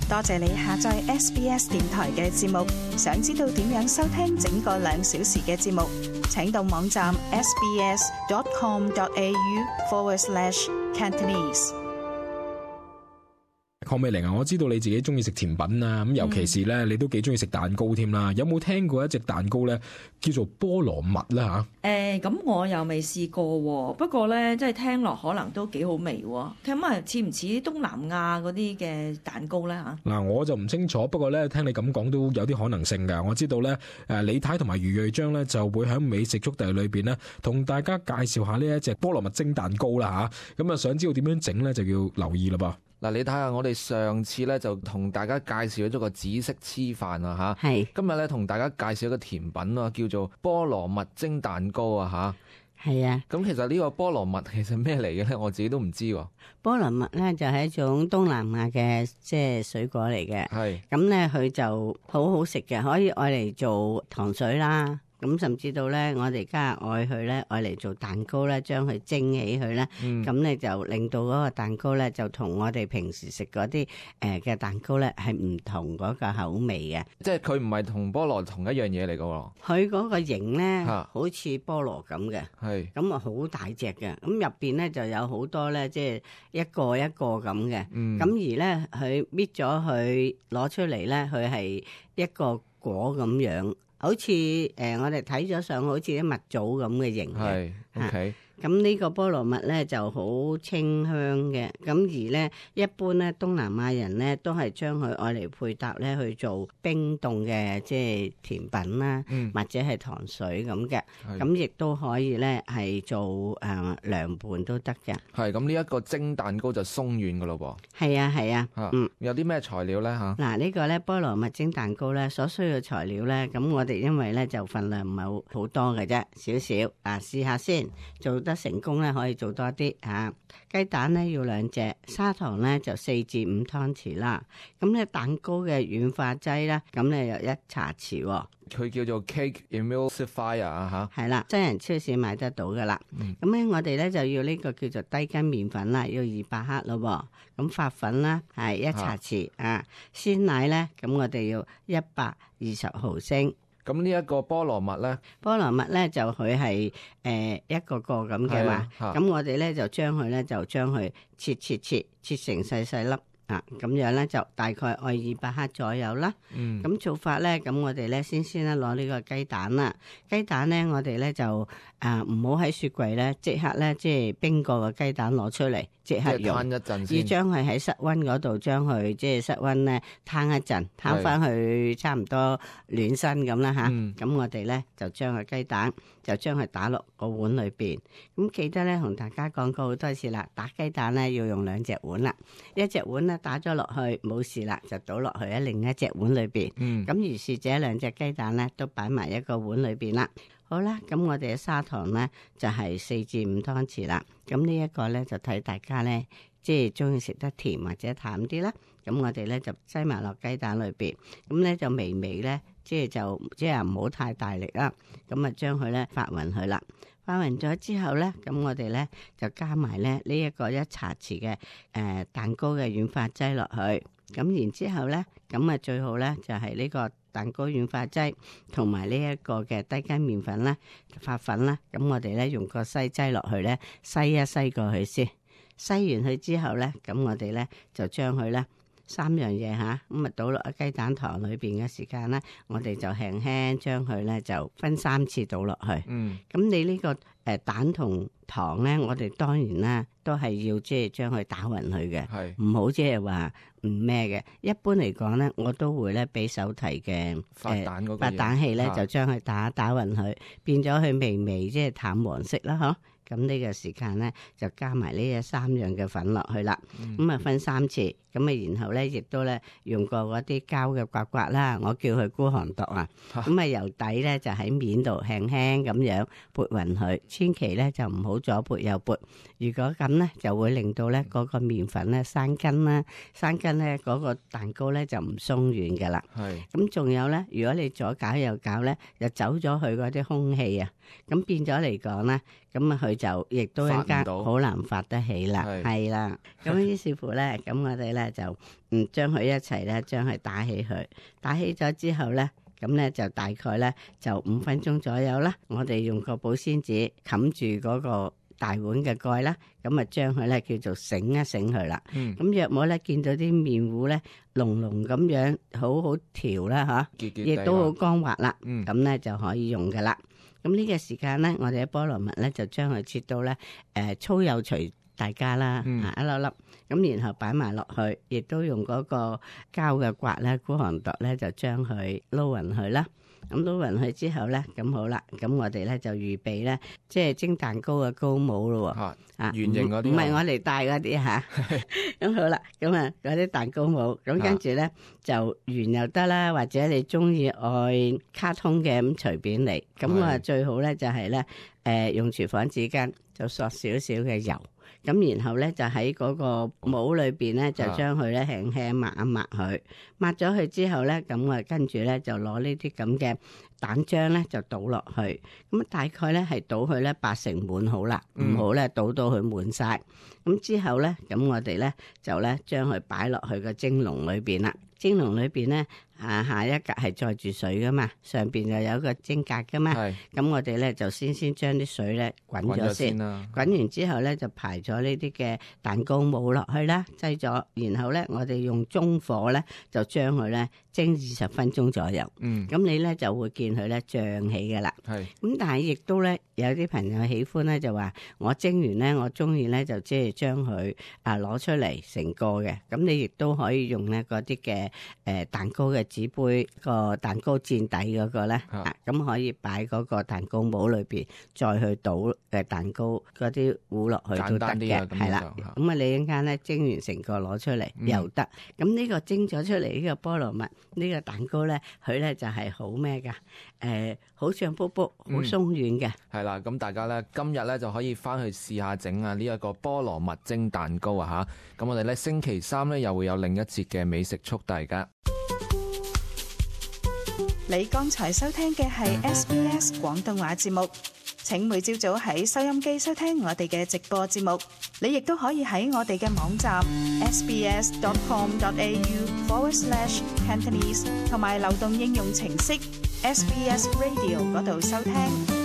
多謝你下載 SBS 電台嘅節目。想知道點樣收聽整個2小時嘅節目，請到網站 sbs.com.au/Cantonese。鄺美玲啊，我知道你自己中意食甜品啊，咁尤其是咧，你都幾中意食蛋糕添啦。有冇聽過一隻蛋糕咧，叫做菠蘿蜜啦吓？咁我又未試過喎，不過咧，即係聽落可能都幾好味喎。咁啊，似唔似東南亞嗰啲嘅蛋糕咧嚇？嗱，我就唔清楚，不過咧，聽你咁講都有啲可能性㗎。我知道咧，李太同埋余瑞章咧就會喺美食速遞裏邊咧，同大家介紹下呢一隻菠蘿蜜蒸蛋糕啦吓。咁啊，想知道點樣整咧，就要留意啦噃。嗱，你睇下我哋上次咧就同大家介紹咗個紫色黐飯啊嚇，係今日咧同大家介紹一個甜品啊，叫做菠蘿蜜蒸蛋糕啊嚇。係啊，咁其實呢個菠蘿蜜其實咩嚟嘅咧？我自己都唔知喎。菠蘿蜜咧就係一種東南亞嘅即係水果嚟嘅，係咁咧佢就好好食嘅，可以愛嚟做糖水啦。咁甚至到咧，我哋加入愛佢咧，愛嚟做蛋糕咧，將佢蒸起佢咧，咁咧就令到嗰個蛋糕咧，就同我哋平時食嗰啲嘅蛋糕咧係唔同嗰個口味嘅。即係佢唔係同菠蘿同一樣嘢嚟噶喎。佢嗰個形咧，好似菠蘿咁嘅，係咁啊好大隻嘅。咁入邊咧就有好多咧，即係一個一個咁嘅。咁而咧佢搣咗佢攞出嚟咧，佢係一個果咁樣。好似我哋睇咗上好似啲蜜棗咁嘅形嘅，OK。咁呢個菠蘿蜜咧就好清香嘅，咁而咧一般咧東南亞人咧都係將佢愛嚟配搭咧去做冰凍嘅即係甜品啦，或者係糖水咁嘅，咁亦都可以咧係做涼拌都得嘅。係咁呢一個蒸蛋糕就鬆軟噶咯噃。係啊係啊，有啲咩材料咧嚇？嗱呢個咧菠蘿蜜蒸蛋糕咧所需要材料咧，咁我哋因為咧就份量唔係好多嘅啫，少少試下先做得成功咧可以做多啲嚇。雞蛋咧要2隻，砂糖咧就4至5湯匙啦。咁咧蛋糕嘅軟化劑咧，咁咧有1茶匙。佢叫做 cake emulsifier 啊嚇。係啦，真人超市買得到噶啦。咁咧我哋咧就要呢個叫做低筋麵粉啦，要200克咯。咁發粉啦係1茶匙啊。鮮奶咧咁我哋要120毫升。咁呢一個菠蘿蜜咧，菠蘿蜜咧就佢係一個個咁嘅嘛，咁我哋咧就將佢咧就將佢切成細細粒啊，咁樣咧就大概愛200克左右啦。咁做法咧，咁我哋咧先咧攞呢個雞蛋啦，雞蛋咧我哋咧就唔好喺雪櫃咧即刻咧即係冰過個雞蛋攞出嚟即刻用，攤一陣先，要將佢喺室溫嗰度將佢即係室溫咧攤一陣，攤翻去差唔多暖身咁啦吓。咁我哋咧就將個雞蛋就將佢打落個碗裏邊。咁記得咧同大家講過好多次啦，打雞蛋咧要用2隻碗啦，一隻碗咧打咗落去冇事啦，就倒落去喺另一隻碗裏邊。咁於是這2隻雞蛋咧都擺埋一個碗裏邊啦。好啦，咁我哋嘅砂糖咧就係4至5湯匙啦。咁呢一個咧就睇大家咧，即係中意食得甜或者淡啲啦。咁我哋咧就擠埋落雞蛋裏邊，咁咧就微微咧，即係唔好太大力啦。咁啊將佢咧發勻佢啦，發勻咗之後咧，咁我哋咧就加埋咧呢一個1茶匙嘅蛋糕嘅軟化劑落去。咁然之後咧，咁啊最好咧就係呢個蛋糕軟化劑同埋呢一個嘅低筋麵粉啦、發粉啦。咁我哋咧用個篩劑落去咧，篩一篩過去先。篩完佢之後咧，咁我哋咧就將佢咧3樣嘢吓，咁啊倒落雞蛋糖裏邊嘅時間咧，我哋就輕輕將佢咧就分3次倒落去。咁你呢個蛋同糖咧，我哋當然啦都係要即係將佢打勻佢嘅，唔好即係話唔咩嘅。一般嚟講咧，我都會咧俾手提嘅發蛋器咧，就將佢打勻佢，變咗佢微微即係淡黃色啦，嗬。咁呢個時間咧就加埋呢3樣嘅粉落去啦，咁啊分3次，咁啊然後咧亦都咧用過嗰啲膠嘅刮刮啦，我叫佢孤寒毒啊，咁啊由底咧就喺面度輕輕咁樣撥勻佢，千祈咧就唔好左撥右撥，如果咁咧就會令到咧嗰個麵粉咧生筋啦，生筋咧嗰個蛋糕咧就唔鬆軟噶啦。咁仲有咧，如果你左攪右攪咧，就走咗佢嗰啲空氣啊，咁變咗嚟講咧，咁啊佢佢就亦都一間好難發得起啦，係啦。咁於是乎咧，咁我哋咧就將佢一齊咧將佢打起佢，打起咗之後咧，咁咧就大概咧就5分鐘左右啦。我哋用個保鮮紙冚住嗰個大碗嘅蓋啦，咁啊將佢咧叫做醒一醒佢啦。咁若果咧見到啲麵糊咧濃濃咁樣，好好調啦嚇，亦都好光滑啦，咁咧就可以用噶啦。咁呢個時間咧，我哋嘅菠蘿蜜咧就將佢切到咧粗幼隨大家啦，一粒粒，咁然後擺埋落去，亦都用嗰個膠嘅刮咧，孤寒度咧就將佢撈勻佢啦。咁撈勻佢之後咧，咁好啦，咁我哋咧就預備咧，即係蒸蛋糕嘅糕模咯喎，圓形嗰啲，唔係我哋戴嗰啲嚇。咁好啦，咁啊嗰啲蛋糕模，咁跟住咧就圓又得啦，或者你中意愛卡通嘅咁隨便嚟。咁我最好咧就係咧用廚房紙巾就索少少嘅油。咁然後咧就喺嗰個模裏邊咧就將佢咧輕輕抹一抹佢，抹咗佢之後咧，咁我跟住咧就攞呢啲咁嘅蛋漿咧就倒落去，咁大概咧係倒佢咧80滿好啦，唔好咧倒到佢滿晒。咁之後咧，咁我哋咧就咧將佢擺落去個蒸籠裏邊啦。蒸籠裏邊咧下一格係載住水噶嘛，上邊就有個蒸格噶嘛。咁我哋咧就先將啲水咧滾咗先，滾完之後咧就排咗呢啲嘅蛋糕模落去啦，擠咗，然後咧我哋用中火咧就將佢咧蒸20分鐘左右。咁你咧就會見佢咧脹起噶啦。咁但係亦都咧有啲朋友喜歡咧就話我蒸完咧我中意咧就即係將佢攞出嚟成個嘅，咁你亦都可以用咧嗰啲嘅蛋糕嘅紙杯個蛋糕墊底嗰個咧，咁可以擺嗰個蛋糕模裏邊，再去倒蛋糕嗰啲糊落去都得嘅，係啦。咁啊，你一陣間咧蒸完成個攞出嚟又得。咁呢個蒸咗出嚟呢個菠蘿蜜呢個蛋糕咧，佢咧就係好咩噶？好脹卜卜，好鬆軟嘅。係啦，咁大家咧今日咧就可以翻去試下整啊呢一個菠蘿蜜蒸蛋糕啊嚇。咁我哋咧星期3咧又會有另一節嘅美食速遞噶。你剛才收聽嘅係 SBS 廣東話節目，請每朝早喺收音機收聽我哋嘅直播節目。你亦都可以喺我哋嘅網站 sbs.com.au/Cantonese 同埋流動應用程式 SBS Radio 嗰度收聽。